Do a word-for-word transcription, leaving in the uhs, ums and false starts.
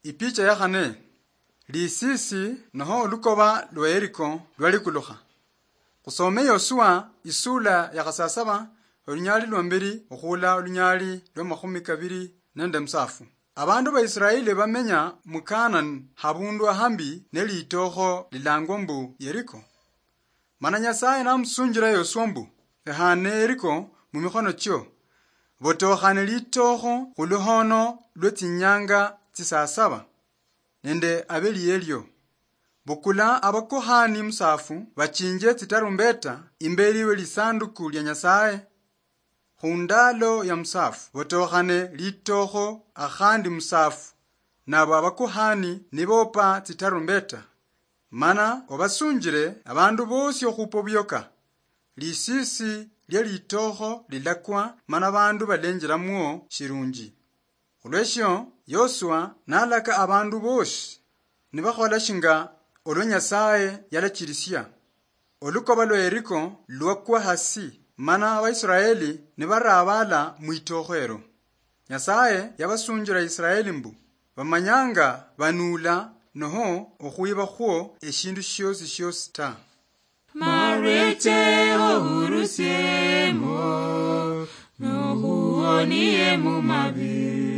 Ipicha ya khane, lisisi noho olukoba lwa Yeriko lwalikulukha. Khusome Yosua isula ya khasasaba, olunyali lwa mbili okhula olunyali lwa makhumi kabili nende musafu. Abandu ba Israeli bamenya mu Kanani habundu ahambi ne litokho lilangwa mbu Yeriko. Mana Nyasaye namusunjira Yosua mbu, "Ehane Yeriko mu mikhono chio, botokhane litokho khu luhono lwe tsinyanga tsisasaba, nende abeli elio. Bukula abakuhani musafu bachinje tsitarumbeta imbeli we lisanduku lya Nyasaye." Khundalo ya musafu, botokhane litokho akhandi musafu, nabo abakuhani nibopa tsitarumbeta. Mana obasunjire abandu bosi okhupa obuyoka. Lisisi lya litokho lilakwa, mana abandu balenjiramwo shirunji. Khulweshio, Yosua nalaka abandu bosi nibakhola shinga olwa Nyasaye yalachirisia. Olukoba lwa Yeriko lwakwa hasi, mana Abaisraeli nibarabala mwitokho ero. Nyasaye yabasunjira Israeli mbu, bamanyanga banuula noho okhwiba khwo eshindu shiosi shiosi ta. Marweche ohurusiemo, nohuonie mu mabi.